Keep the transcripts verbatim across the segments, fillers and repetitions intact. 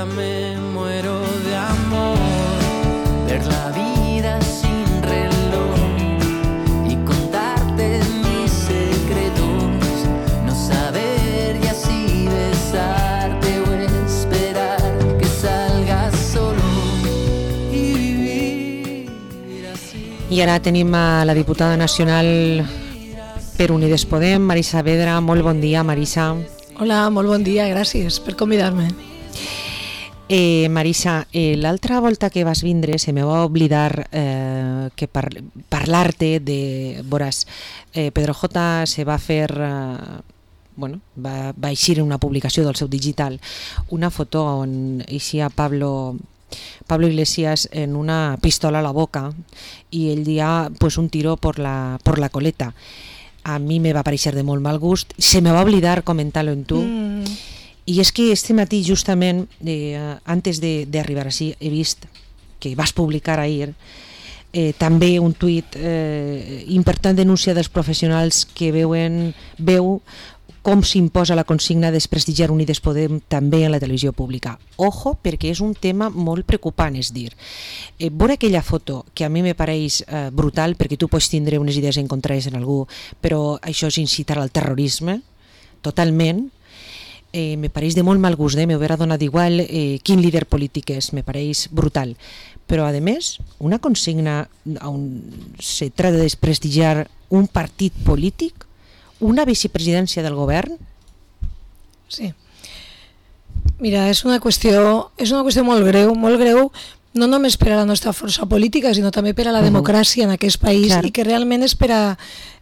ya me muero de amor. Ver la vida sin reloj y contarte mis secretos, no saber y así besarte o esperar que salgas solo y vivir así. I ara tenim a la diputada nacional per Unides Podem, Marisa Vedra. Molt bon dia, Marisa. Hola, molt bon dia, gràcies per convidar-me. Eh, Marisa, eh, l'altra volta que vas vindre se me va oblidar eh, que par parlar-te de... Veuràs, eh, Pedro J se va fer... Eh, bueno, va, va eixir en una publicació del seu digital una foto on eixia Pablo... Pablo Iglesias en una pistola a la boca y el día pues un tiro por la, por la coleta. A mi me va aparèixer de molt mal gust, se me va oblidar comentar-lo en tu, mm. i és que este matí justament, eh, antes d'arribar així, he vist que vas publicar ahir eh, també un tuit eh, important denúncia dels professionals que veuen, veu com s'imposa la consigna de desprestigiar Unides Podem també en la televisió pública. Ojo, perquè és un tema molt preocupant, és dir, eh, veure aquella foto, que a mi me pareix eh, brutal, perquè tu pots tindre unes idees encontrades en algú, però això és incitar al terrorisme, totalment, eh, me pareix de molt mal gust, eh? M'haurà donat igual eh, quin líder polític és, me pareix brutal. Però, a més, una consigna on se trata de desprestigiar un partit polític, una vicepresidència del govern? Sí. Mira, és una qüestió, és una qüestió molt greu, molt greu, no només per a la nostra força política, sinó també per a la uh-huh. democràcia en aquest país, clar. I que realment és per a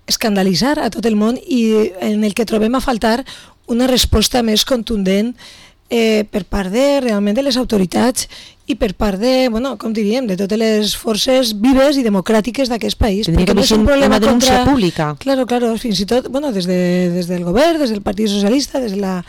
escandalitzar a tot el món i en el que trobem a faltar una resposta més contundent eh, per part de, realment de les autoritats i per part de, bueno, com diríem, de totes les forces vives i democràtiques d'aquest país. Tindria que ser no una denúncia contra... pública. Claro, claro, fins i tot, bueno, des, de, des del govern, des del Partit Socialista, des de la,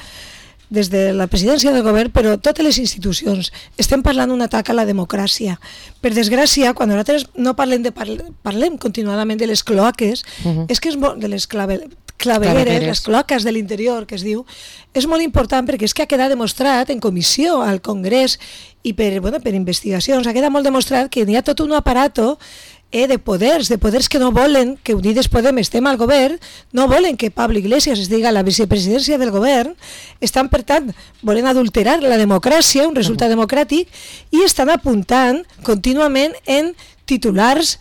des de la presidència del govern, però totes les institucions. Estem parlant d'un atac a la democràcia. Per desgràcia, quan nosaltres no parlem, de parle, parlem continuadament de les cloaques, uh-huh. és que és molt, de les clave, clavegueres, les cloaques de l'interior, que es diu, és molt important perquè és que ha quedat demostrat en comissió al Congrés i per, bueno, per investigacions, ha quedat molt demostrat que hi ha tot un aparato eh, de poders, de poders que no volen que Unides Podem estem al govern, no volen que Pablo Iglesias es diga a la vicepresidència del govern, estan, per tant, volen adulterar la democràcia, un resultat democràtic, i estan apuntant contínuament en titulars,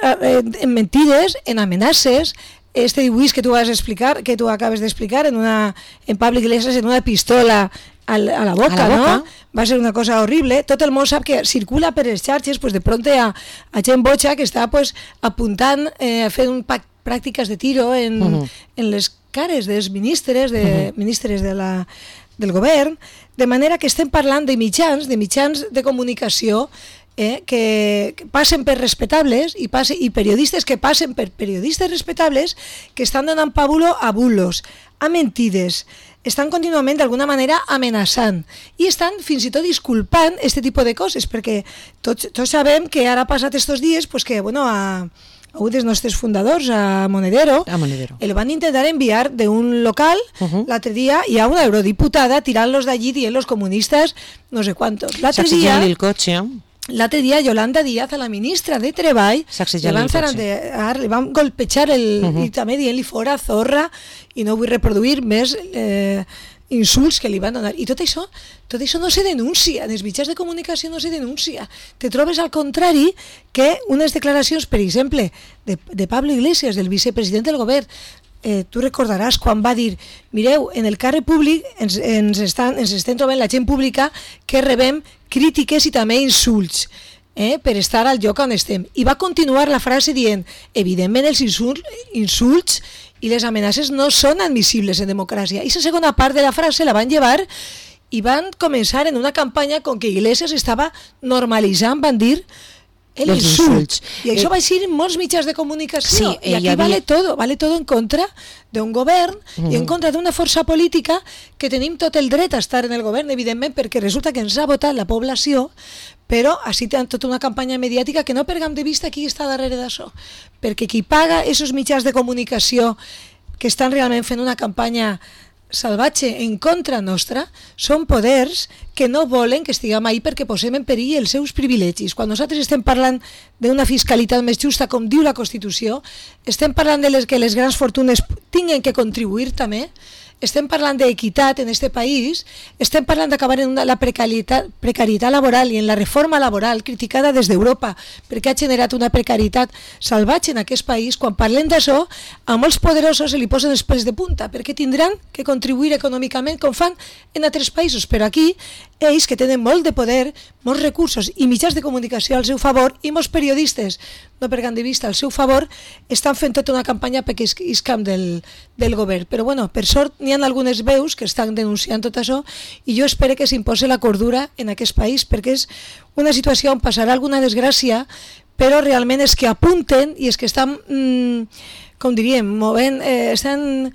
eh, en mentides, en amenaces. Este dibuix que tu vas explicar, que tu acabes d'explicar en una en Pablo Iglesias en una pistola al, a la boca, a la boca, no? Va ser una cosa horrible. Tot el món sap que circula per les xarxes, pues de pronto a, a gent boja que està pues apuntant, eh, fent un pac, pràctiques de tiro en, uh-huh. en les cares dels ministres, de, uh-huh. ministres de la, del govern, de manera que estem parlant de mitjans, de mitjans de comunicació Eh, que, que passen per respectables i, passe, i periodistes que passen per periodistes respectables que estan donant pàbulo a bulos, a mentides, estan contínuament d'alguna manera amenaçant i estan fins i tot disculpant aquest tipus de coses, perquè tots, tots sabem que ara ha passat estos dies pues que bueno, a, a un dels nostres fundadors, a Monedero, a Monedero. El van intentar enviar d'un local uh-huh. l'altre dia i a una eurodiputada tirant-los d'allí dient los comunistes no sé quantos. L'altre dia... el cotxe, L'altre dia Yolanda Díaz, a la ministra de Treball, li van, li van golpejar el, uh-huh. i també dient-li fora zorra i no vull reproduir més eh, insults que li van donar. I tot això, tot això no se denuncia, en els mitjans de comunicació no se denuncia. Te trobes al contrari que unes declaracions, per exemple, de, de Pablo Iglesias, del vicepresident del govern, Eh, tu recordaràs quan va dir mireu, en el carrer públic ens, ens, estan, ens estem trobant la gent pública que rebem crítiques i també insults eh, per estar al lloc on estem, i va continuar la frase dient evidentment els insults, insults i les amenaces no són admissibles en democràcia, i la segona part de la frase la van llevar i van començar en una campanya com que Iglesias estava normalitzant, van dir el insult. I això eh, va ser en molts mitjans de comunicació. Sí, I aquí havia... vale todo, vale todo en contra d'un govern mm. i en contra d'una força política que tenim tot el dret a estar en el govern, evidentment, perquè resulta que ens ha votat la població, però així tenen tota una campanya mediàtica que no perdem de vista qui està darrere d'això. Perquè qui paga aquests mitjans de comunicació que estan realment fent una campanya salvatge en contra nostra, són poders que no volen que estiguem ahí perquè posem en perill els seus privilegis. Quan nosaltres estem parlant d'una fiscalitat més justa, com diu la Constitució, estem parlant de les que les grans fortunes tinguen que contribuir també, estem parlant d'equitat en aquest país, estem parlant d'acabar en una, la precarietat, precarietat laboral i en la reforma laboral criticada des d'Europa perquè ha generat una precarietat salvatge en aquest país. Quan parlem d'això, a molts poderosos se li posen els pèls de punta perquè tindran que contribuir econòmicament com fan en altres països, però aquí ells que tenen molt de poder, molts recursos i mitjans de comunicació al seu favor i molts periodistes, no per de vista, al seu favor, estan fent tota una campanya perquè iscam del, del govern. Però bueno, per sort n'hi ha algunes veus que estan denunciant tot això i jo espero que s'imposi la cordura en aquest país perquè és una situació on passarà alguna desgràcia, però realment és que apunten i és que estan, mmm, com diríem, movent, eh, estan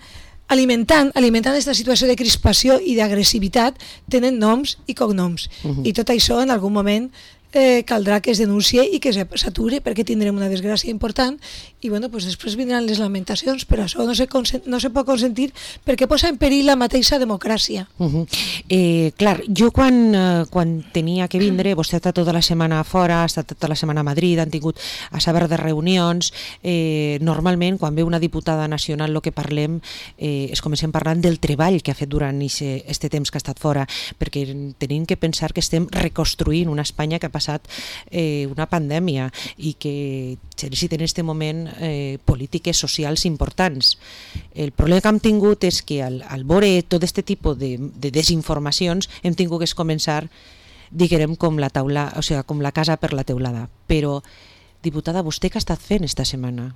alimentant alimentant aquesta situació de crispació i d'agressivitat, tenen noms i cognoms. Uh-huh. I tot això en algun moment eh, caldrà que es denuncie i que s'aturi perquè tindrem una desgràcia important i bueno, pues després vindran les lamentacions, però això no se, no se pot consentir perquè posa en perill la mateixa democràcia. Uh-huh. eh, clar, jo quan, eh, quan tenia que vindre, vostè ha estat tota la setmana fora, ha estat tota la setmana a Madrid, han tingut a saber de reunions, eh, normalment quan ve una diputada nacional el que parlem eh, és comencem parlant del treball que ha fet durant aquest temps que ha estat fora, perquè tenim que pensar que estem reconstruint una Espanya que ha passat eh, una pandèmia i que necessita en aquest moment eh, polítiques socials importants. El problema que hem tingut és que al, al veure tot aquest tipus de, de desinformacions hem tingut que començar, diguem, com la taula, o sigui, com la casa per la teulada. Però, diputada, vostè què ha estat fent esta setmana?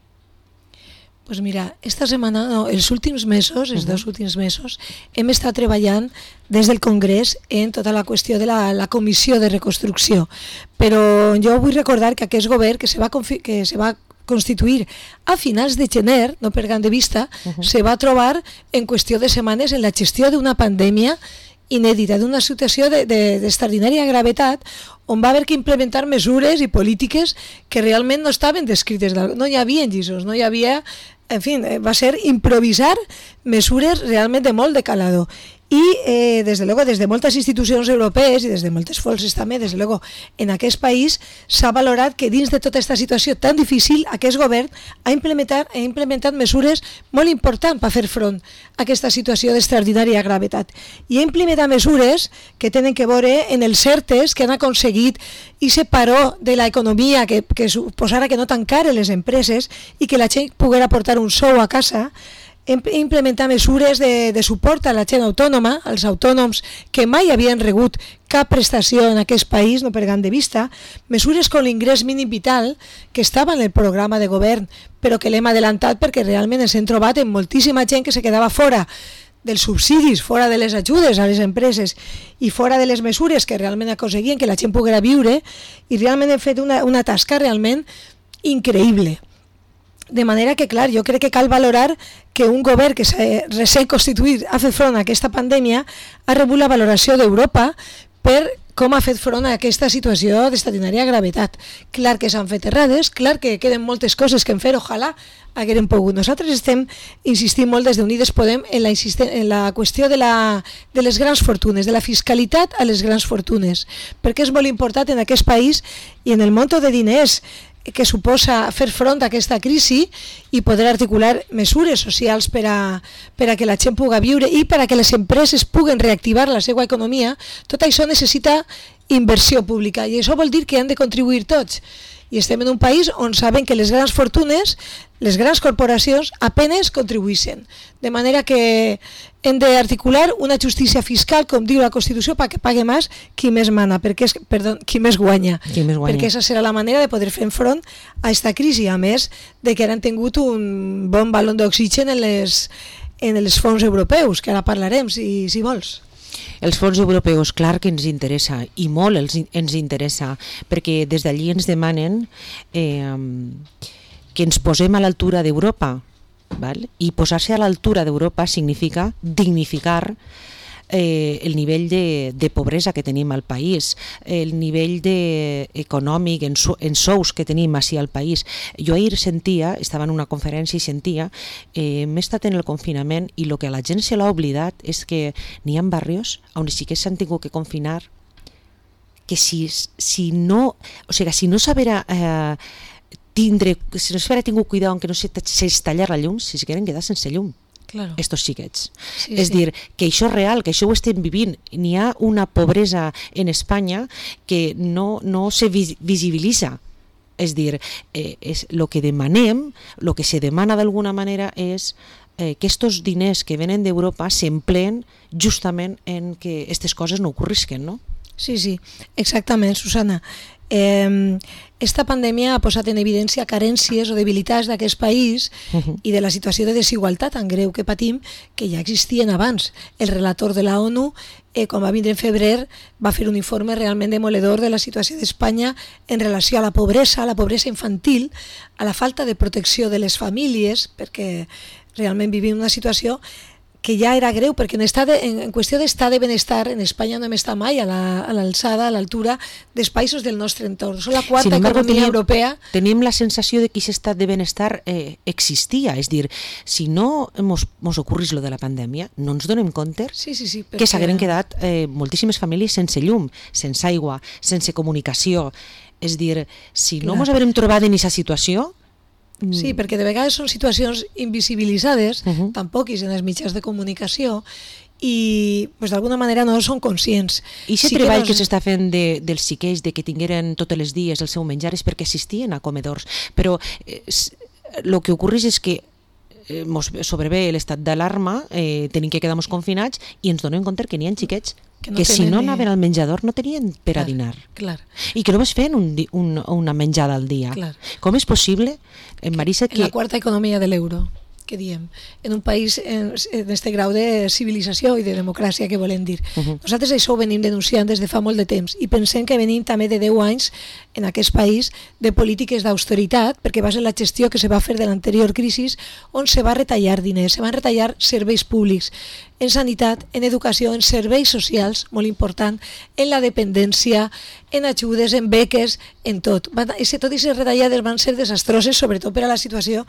Pues mira, esta setmana, no, els últims mesos, els uh-huh. dos últims mesos, hem estat treballant des del Congrés en tota la qüestió de la, la comissió de reconstrucció. Però jo vull recordar que aquest govern que se va, que se va constituir a finals de gener, no perdant de vista, uh-huh. se va trobar en qüestió de setmanes en la gestió d'una pandèmia inèdita, d'una situació d'extraordinària gravetat on va haver que implementar mesures i polítiques que realment no estaven descrites, no hi havia lliços, no hi havia, en fi, va ser improvisar mesures realment de molt de calado. I eh, des de luego, des de moltes institucions europees i des de moltes forces també, des de luego, en aquest país s'ha valorat que dins de tota aquesta situació tan difícil aquest govern ha implementat, ha implementat mesures molt importants per fer front a aquesta situació d'extraordinària gravetat. I ha implementat mesures que tenen que veure en els certes que han aconseguit i se paró de l'economia que, que suposara que no tancaren les empreses i que la gent poguera portar un sou a casa, implementar mesures de, de suport a la gent autònoma, als autònoms que mai havien rebut cap prestació en aquest país, no perdant de vista, mesures com l'ingrés mínim vital, que estava en el programa de govern, però que l'hem adelantat perquè realment ens hem trobat amb moltíssima gent que se quedava fora dels subsidis, fora de les ajudes a les empreses i fora de les mesures que realment aconseguien que la gent poguera viure, i realment hem fet una, una tasca realment increïble. De manera que, clar, jo crec que cal valorar que un govern que s'ha recent constituït ha fet front a aquesta pandèmia ha rebut la valoració d'Europa per com ha fet front a aquesta situació d'extraordinària gravetat. Clar que s'han fet errades, clar que queden moltes coses que hem fet, ojalà haguérem pogut. Nosaltres estem insistint molt des d'Unides Podem en la, en la qüestió de, la, de les grans fortunes, de la fiscalitat a les grans fortunes, perquè és molt important en aquest país i en el monto de diners que suposa fer front a aquesta crisi i poder articular mesures socials per a, per a que la gent pugui viure i per a que les empreses puguen reactivar la seva economia. Tot això necessita inversió pública i això vol dir que han de contribuir tots. I estem en un país on saben que les grans fortunes, les grans corporacions, apenes contribueixen. De manera que hem d'articular una justícia fiscal, com diu la Constitució, perquè pague més qui més mana, perquè és, perdó, qui més guanya. Qui més guanya. Perquè aquesta serà la manera de poder fer front a aquesta crisi, a més de que ara han tingut un bon balon d'oxigen en les, en els fons europeus, que ara parlarem, si, si vols. Els fons europeus, clar que ens interessa, i molt els, ens interessa, perquè des d'allí ens demanen eh, que ens posem a l'altura d'Europa, val? I posar-se a l'altura d'Europa significa dignificar eh, el nivell de, de pobresa que tenim al país, el nivell de, econòmic en, so, en sous que tenim així al país. Jo ahir sentia, estava en una conferència i sentia, eh, m'he estat en el confinament i el que a la gent se l'ha oblidat és que n'hi ha barrios on sí que s'han tingut que confinar, que si, si no, o sigui, si no s'haverà eh, tindre, si no s'haverà tingut cuidado en que no s'estallar la llum, si se queden quedar sense llum. Claro. Estos xiquets. Sí, és sí. dir, que això és real, que això ho estem vivint. N'hi ha una pobresa en Espanya que no, no se visibilitza. És dir, eh, és, lo que demanem, el que se demana d'alguna manera és eh, que estos diners que venen d'Europa s'empleen justament en que aquestes coses no ocorrisquen, no? Sí, sí, exactament, Susana. Eh, esta pandèmia ha posat en evidència carències o debilitats d'aquest país uh-huh. i de la situació de desigualtat tan greu que patim, que ja existien abans. El relator de la ONU, eh, quan va vindre en febrer, va fer un informe realment demoledor de la situació d'Espanya en relació a la pobresa, a la pobresa infantil, a la falta de protecció de les famílies, perquè realment vivim una situació que ja era greu, perquè en, estat de, en, en qüestió d'estat de benestar en Espanya no hem estat mai a l'alçada, a l'altura dels països del nostre entorn. Som la quarta economia tenim, europea. Tenim la sensació de que aquest estat de benestar eh, existia, és dir, si no mos, mos ocorrís lo de la pandèmia, no ens donem compte sí, sí, sí, perquè... que s'hagueren quedat eh, moltíssimes famílies sense llum, sense aigua, sense comunicació. És dir, si no Clar. Mos haguérem trobat en aquesta situació, sí, perquè de vegades són situacions invisibilitzades, uh-huh. tampoc és en els mitjans de comunicació, i pues, d'alguna manera no són conscients. I aquest sí treball que, no... que s'està fent de, dels xiquets, de que tingueren tots els dies el seu menjar, és perquè assistien a comedors. Però eh, el que ocorreix és que eh, mos sobrevé l'estat d'alarma, eh, tenim que quedar confinats i ens donem compte que n'hi ha xiquets que, no que si no anaven al menjador no tenien per clar, a dinar. Clar. I que només feien un, un, una menjada al dia. Clar. Com és possible, en Marisa, que... En la quarta economia de l'euro, que diem, en un país en, en este grau de civilització i de democràcia que volem dir. Uh-huh. Nosaltres això ho venim denunciant des de fa molt de temps i pensem que venim també de deu anys en aquest país de polítiques d'austeritat, perquè va ser la gestió que se va fer de l'anterior crisi on se va retallar diners, se van retallar serveis públics, en sanitat, en educació, en serveis socials, molt important, en la dependència, en ajudes, en beques, en tot. Van, i tot aquestes retallades van ser desastroses, sobretot per a la situació,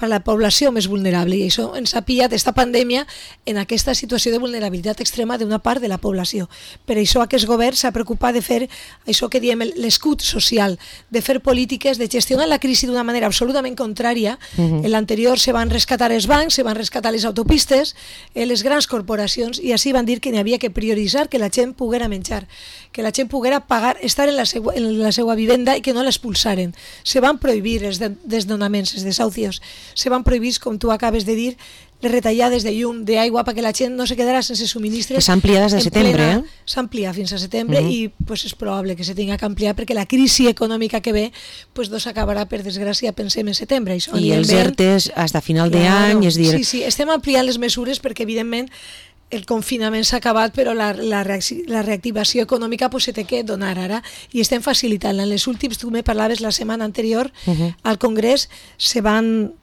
per a la població més vulnerable, i això ens ha pillat esta pandèmia en aquesta situació de vulnerabilitat extrema d'una part de la població. Per això aquest govern s'ha preocupat de fer això que diem l'escut social, de fer polítiques, de gestionar la crisi d'una manera absolutament contrària. Uh-huh. En l'anterior se van rescatar els bancs, se van rescatar les autopistes, eh, les grans corporacions, i així van dir que n'hi havia que prioritzar que la gent poguera menjar, que la gent poguera pagar, estar en la, seva, en la seva vivenda i que no l'expulsaren. Se van prohibir els desnonaments, els desahucios, se van prohibir, com tu acabes de dir, les retallades de llum, d'aigua, perquè la gent no se quedarà sense subministres. Que s'ha ampliat des de setembre, plena, eh? S'ha ampliat fins a setembre uh-huh. i pues, és probable que se tinga que ampliar perquè la crisi econòmica que ve pues, no s'acabarà, per desgràcia, pensem en setembre. Això, I els ERTEs fins a final d'any, és dir... Sí, sí, estem ampliant les mesures perquè, evidentment, el confinament s'ha acabat, però la, la, la reactivació econòmica pues, se té que donar ara i estem facilitant-la. En les últims, tu me parlaves la setmana anterior, uh-huh. al Congrés se van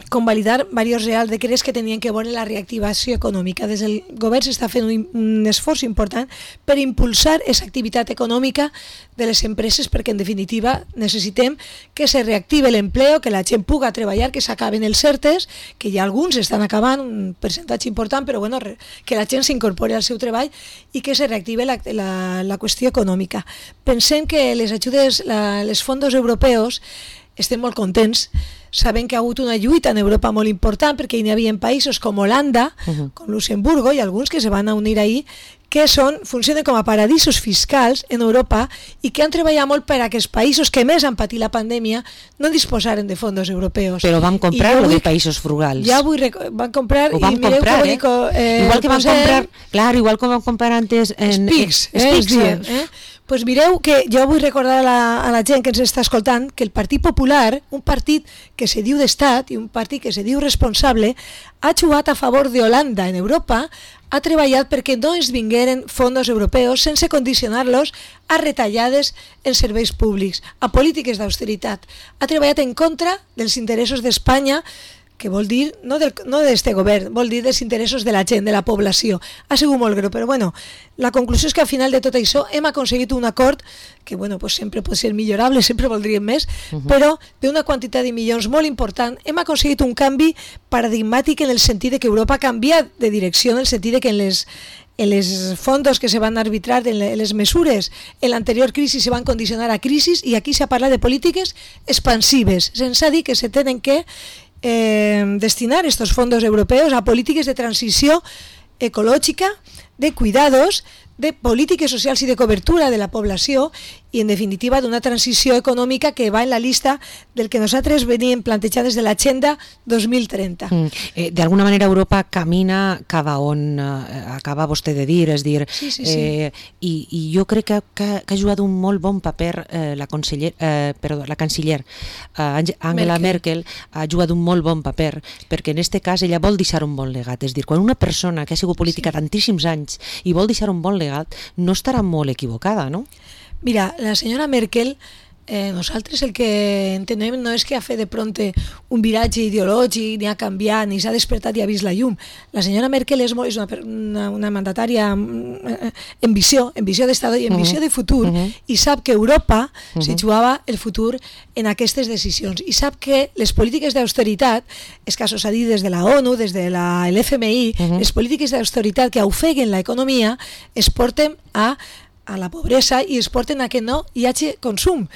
convalidar diversos reals decrets que tenien que veure la reactivació econòmica. Des del govern s'està fent un, un esforç important per impulsar aquesta activitat econòmica de les empreses, perquè en definitiva necessitem que se reactive l'empleo, que la gent puga treballar, que s'acaben els ERTEs, que ja alguns estan acabant, un percentatge important, però bueno, que la gent s'incorpori al seu treball i que se reactive la, la, la qüestió econòmica. Pensem que les ajudes, la, les fondos europeus, estem molt contents, sabem que ha hagut una lluita en Europa molt important perquè hi havia països com Holanda, uh-huh. com Luxemburgo i alguns que se van a unir ahí, que són, funcionen com a paradisos fiscals en Europa i que han treballat molt per a que els països que més han patit la pandèmia no disposaren de fondos europeus. Però van comprar lo de països frugals. Ja vull rec- van comprar Ho van i mireu comprar, com eh? dico, eh, igual que van posem, comprar, clar, igual que van comprar antes en Spics, eh, eh, Spics, diem, eh? Pues mireu que jo vull recordar a la, a la gent que ens està escoltant que el Partit Popular, un partit que se diu d'estat i un partit que se diu responsable, ha jugat a favor d'Holanda en Europa, ha treballat perquè no es vingueren fondos europeus sense condicionar-los a retallades en serveis públics, a polítiques d'austeritat. Ha treballat en contra dels interessos d'Espanya, que vol dir, no del, no d'este govern, vol dir dels interessos de la gent, de la població. Ha sigut molt greu, però bueno, la conclusió és que al final de tot això hem aconseguit un acord que bueno, pues sempre pot ser millorable, sempre voldríem més, uh-huh. però d'una quantitat de milions molt important hem aconseguit un canvi paradigmàtic en el sentit de que Europa ha canviat de direcció, en el sentit de que en les en les fondos que se van arbitrar, en les mesures en l'anterior crisi se van condicionar a crisis i aquí s'ha parlat de polítiques expansives, sense dir que se tenen que eh, destinar estos fondos europeos a polítiques de transició ecològica, de cuidados, de polítiques socials i de cobertura de la població i, en definitiva, d'una transició econòmica que va en la lista del que nosaltres veníem plantejant des de l'Agenda dos mil trenta. Mm. Eh, D'alguna manera Europa camina cap a on eh, acaba vostè de dir, és dir, sí, sí, sí. Eh, i, i jo crec que, que, que ha jugat un molt bon paper eh, la, conseller, eh, perdó, la canciller eh, Angela Merkel. Merkel ha jugat un molt bon paper perquè en aquest cas ella vol deixar un bon legat, és dir, quan una persona que ha sigut política sí. tantíssims anys i vol deixar un bon legat no estarà molt equivocada, no? Mira, la senyora Merkel, eh, nosaltres el que entenem no és que ha fet de pronte un viratge ideològic, ni ha canviat, ni s'ha despertat i ha vist la llum. La senyora Merkel és, molt, és una, una, una mandatària en visió, en visió d'estat i en uh-huh. visió de futur, uh-huh. i sap que Europa uh-huh. se jugava el futur en aquestes decisions. I sap que les polítiques d'austeritat, escassos a dir des de la ONU, des de l'F M I, uh-huh. les polítiques d'austeritat que ofeguen l'economia es porten a a la pobresa i es porten a que no hi hagi consum.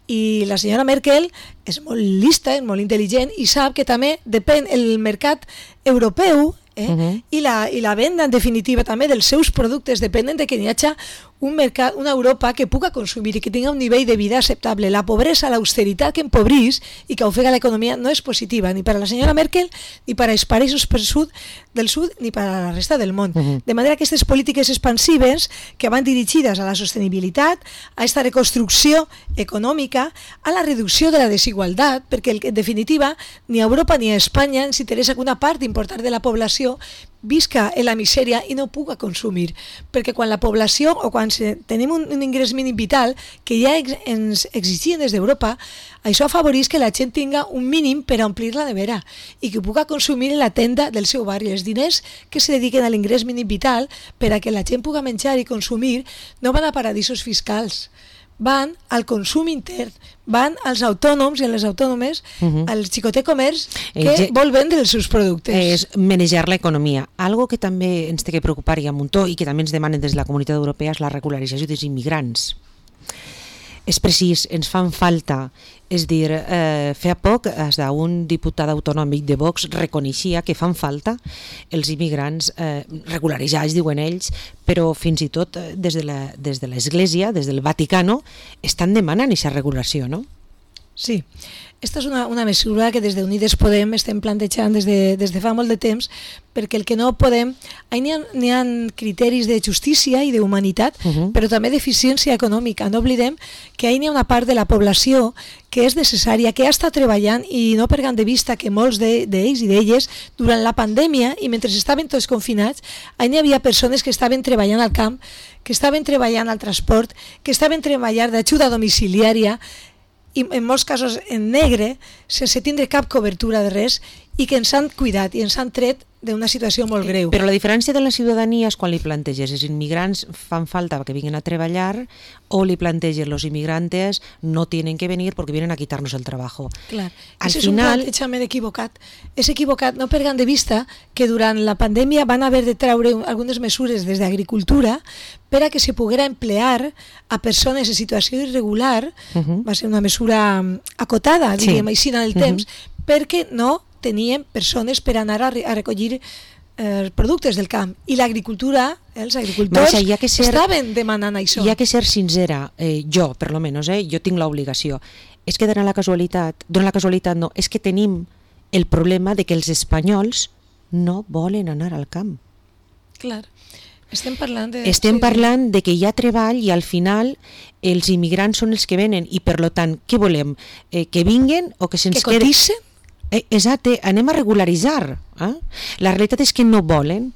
I la senyora Merkel és molt lista, és molt intel·ligent i sap que també depèn el mercat europeu eh? uh-huh. I, la, i la venda, en definitiva, també dels seus productes depenen de que hi hagi un mercat, una Europa que puga consumir i que tingui un nivell de vida acceptable. La pobresa, l'austeritat que empobrís i que ofega l'economia no és positiva ni per a la senyora Merkel, ni per als països del sud, del sud ni per a la resta del món. Uh-huh. De manera que aquestes polítiques expansives que van dirigides a la sostenibilitat, a aquesta reconstrucció econòmica, a la reducció de la desigualtat, perquè en definitiva ni a Europa ni a Espanya ens interessa que una part important de la població visca en la misèria i no puga consumir, perquè quan la població o quan tenim un, un ingrés mínim vital que ja ex, ens exigien des d'Europa, això afavoreix que la gent tinga un mínim per a omplir la nevera i que puga consumir en la tenda del seu barri. Els diners que se dediquen a l'ingrés mínim vital per a que la gent puga menjar i consumir no van a paradisos fiscals, van al consum intern, van als autònoms i a les autònomes, uh-huh. al xicotet comerç que eh, vol vendre els seus productes. És manejar l'economia. Algo que també ens té que preocupar i a muntó i que també ens demanen des de la Comunitat Europea és la regularització dels immigrants. És precís, ens fan falta. És dir, eh, fa poc un diputat autonòmic de Vox reconeixia que fan falta els immigrants eh, regularitzats, diuen ells, però fins i tot des de la, des de l'Església, des del Vaticano, estan demanant aquesta regulació, no? Sí, aquesta és una, una mesura que des d'Unides Podem estem plantejant des de, des de fa molt de temps, perquè el que no podem... N'hi ha, n'hi ha criteris de justícia i d'humanitat, uh-huh. però també d'eficiència econòmica. No oblidem que n'hi ha una part de la població que és necessària, que ha estat treballant i no perdem de vista que molts d'ells i d'elles durant la pandèmia i mentre estaven tots confinats, n'hi havia persones que estaven treballant al camp, que estaven treballant al transport, que estaven treballant d'ajuda domiciliària, i en molts casos en negre, sense tindre cap cobertura de res, i que ens han cuidat i ens han tret d'una situació molt greu. Però la diferència de la ciutadania és quan li planteges els immigrants fan falta que vinguin a treballar o li planteges los inmigrantes no tienen que venir porque vienen a quitarnos el trabajo. Clar, al és final... un plantejament equivocat. És equivocat, no perdem de vista que durant la pandèmia van haver de treure algunes mesures des d'agricultura per a que se poguera emplear a persones en situació irregular, uh-huh. va ser una mesura acotada, sí. diríem així en el temps, uh-huh. perquè no tenien persones per anar a, re a recollir eh, productes del camp. I l'agricultura, eh, els agricultors, Marisa, que ser, estaven demanant això. Hi ha que ser sincera, eh, jo, per lo menos, eh, jo tinc l'obligació. És que dona la casualitat, dona la casualitat no, és que tenim el problema de que els espanyols no volen anar al camp. Clar. Estem parlant de... Estem parlant de que hi ha treball i al final els immigrants són els que venen i per lo tant, què volem? Eh, que vinguen o que se'ns que quede... cotissen? Eh, exacte, anem a regularitzar. Eh? La realitat és que no volen.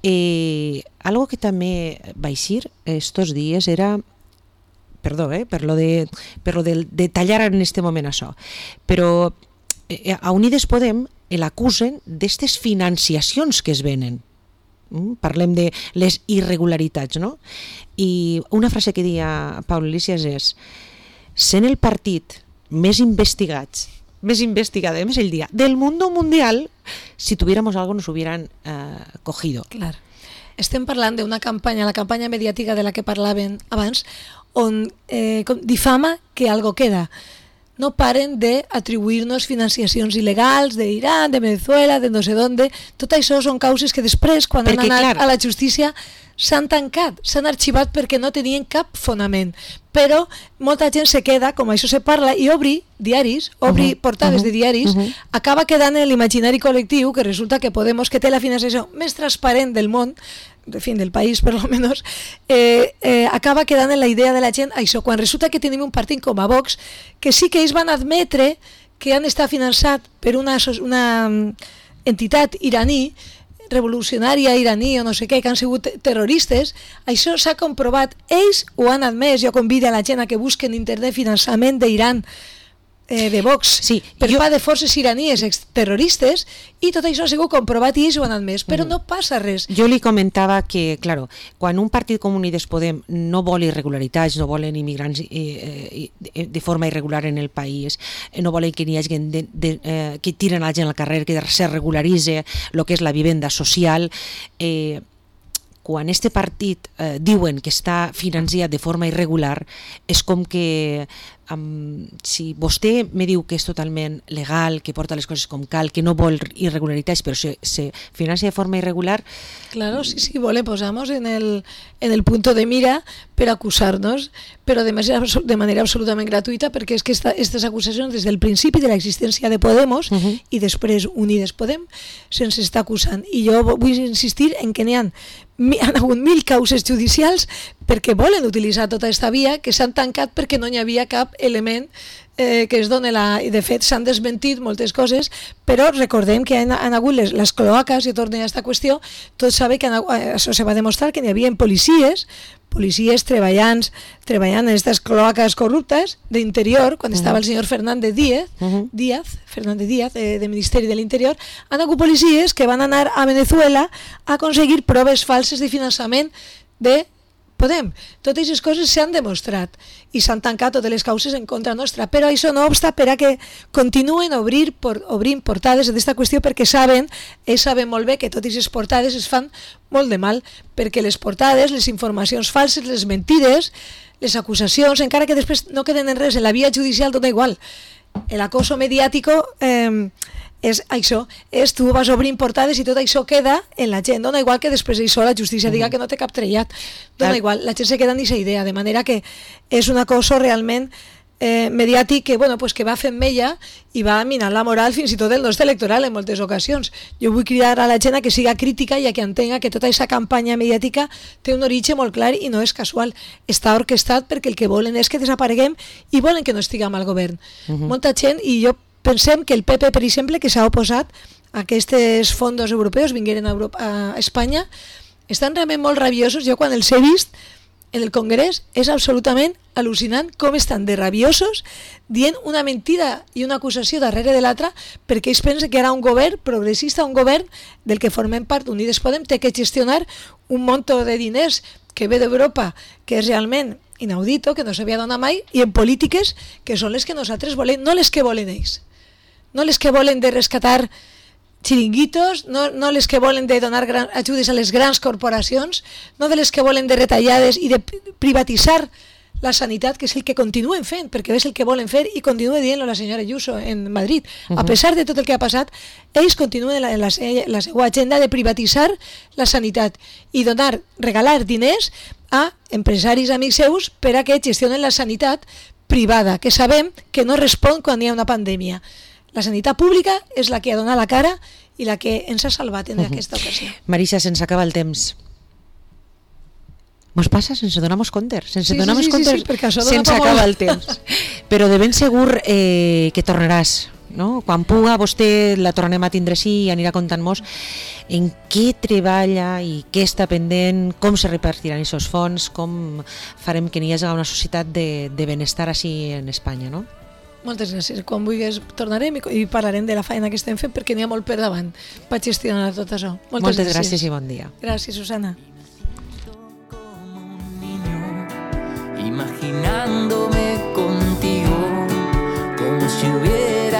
Eh, algo que també va eixir estos dies era... Perdó, eh, per lo de, per lo de, de tallar en este moment això. Però eh, a Unides Podem l'acusen d'aquestes financiacions que es venen. Mm? Parlem de les irregularitats, no? I una frase que deia Pablo Iglesias és: sent el partit més investigats, més investigada, més el dia, del mundo mundial, si tuviéramos algo nos hubieran eh, cogido. Clar. Estem parlant d'una campanya, la campanya mediàtica de la que parlaven abans, on eh, difama que algo queda. No paren d'atribuir-nos financiacions il·legals d'Iran, de Venezuela, de no sé d'on. Tot això són causes que després, quan perquè, han anat clar, a la justícia, s'han tancat, s'han arxivat perquè no tenien cap fonament. Però molta gent se queda, com això se parla, i obri diaris, obri uh -huh, portades uh -huh, de diaris, uh -huh. acaba quedant en l'imaginari col·lectiu que resulta que Podemos, que té la financiació més transparent del món, en fin, del país per lo menos, eh, eh, acaba quedant en la idea de la gent això, quan resulta que tenim un partit com a Vox, que sí que ells van admetre que han estat finançat per una, una entitat iraní, revolucionària iraní o no sé què, que han sigut terroristes. Això s'ha comprovat, ells ho han admès. Jo convido a la gent a que busquen internet finançament d'Iran, eh, de Vox, sí, per jo... part de forces iraníes terroristes, i tot això ha sigut comprovat i ells ho han admès, però mm. no passa res. Jo li comentava que, claro, quan un partit com Unides Podem no vol irregularitats, no volen immigrants eh, eh, de forma irregular en el país, no volen que n'hi hagi de, de, eh, que tiren la gent al carrer, que se regularitzi el que és la vivenda social, eh, quan este partit eh, diuen que està financiat de forma irregular, és com que um, si vostè me diu que és totalment legal, que porta les coses com cal, que no vol irregularitats, però se, se financia de forma irregular... Claro, sí, sí, le posamos en el, en el punto de mira per acusar-nos, però de manera, de manera absolutament gratuïta, perquè és que aquestes acusacions des del principi de l'existència de Podemos uh -huh. i després Unides Podem se'ns està acusant. I jo vull insistir en que n'hi ha han hagut mil causes judicials perquè volen utilitzar tota aquesta via, que s'han tancat perquè no hi havia cap element eh, que es doni la... De fet, s'han desmentit moltes coses, però recordem que han, han hagut les, les cloaques, i tornem a aquesta qüestió, tots saben que han, això se va demostrar que n'hi havia policies, policies treballant, treballant en aquestes cloaques corruptes d'interior, quan uh -huh. estava el senyor Fernández Díaz, uh -huh. Díaz Fernández Díaz, eh, de Ministeri de l'Interior, han hagut policies que van anar a Venezuela a aconseguir proves falses de finançament de Podem. Totes aquestes coses s'han demostrat i s'han tancat totes les causes en contra nostra, però això no obsta per a que continuen obrir, por, obrint portades d'aquesta qüestió, perquè saben, ells saben molt bé que totes aquestes portades es fan molt de mal, perquè les portades, les informacions falses, les mentides, les acusacions, encara que després no queden en res en la via judicial, dona igual. El acoso mediàtico eh, és això, és tu vas obrint portades i tot això queda en la gent, dona igual que després això la justícia diga que no té cap trellat, dona igual, la gent se queda en aquesta idea, de manera que és un acoso realment eh, mediàtic que, bueno, pues que va fent mella i va minant la moral fins i tot del nostre electoral en moltes ocasions. Jo vull cridar a la gent a que siga crítica i a que entenga que tota aquesta campanya mediàtica té un origen molt clar i no és casual, està orquestat perquè el que volen és que desapareguem i volen que no estiguem al govern. Uh -huh. Molta gent, i jo pensem que el P P, per exemple, que s'ha oposat a aquests fons europeus vingueren a, Europa, a Espanya, estan realment molt rabiosos. Jo quan els he vist en el Congrés és absolutament al·lucinant com estan de rabiosos dient una mentida i una acusació darrere de l'altra, perquè ells pensen que ara un govern progressista, un govern del que formem part, Unides Podem, té que gestionar un monto de diners que ve d'Europa, que és realment inaudito, que no s'havia donat mai, i en polítiques que són les que nosaltres volem, no les que volen ells. No les que volen de rescatar xiringuitos, no, no les que volen de donar gran, ajudes a les grans corporacions, no de les que volen de retallades i de privatitzar la sanitat, que és el que continuen fent, perquè és el que volen fer, i continua dient-lo la senyora Ayuso en Madrid. Uh -huh. A pesar de tot el que ha passat, ells continuen en la, en la, la seva agenda de privatitzar la sanitat i donar, regalar diners a empresaris amics seus per a que gestionen la sanitat privada, que sabem que no respon quan hi ha una pandèmia. La sanitat pública és la que ha donat la cara i la que ens ha salvat en uh -huh. aquesta ocasió. Marisa, se'ns acaba el temps. Mos passa sense donar-nos compte, sense sí, donar-nos sí, sí, compte, sí, sí, se'ns acaba el temps. Però de ben segur eh, que tornaràs, no? Quan puga vostè la tornem a tindre així i anirà contant-nos en què treballa i què està pendent, com se repartiran aquests fons, com farem que n'hi hagi una societat de, de benestar així en Espanya, no? Moltes gràcies. Quan vulguis tornarem i, i parlarem de la feina que estem fent perquè n'hi ha molt per davant per gestionar tot això. Moltes, Moltes gràcies. gràcies i bon dia. Gràcies, Susana. Imaginándome contigo como si hubiera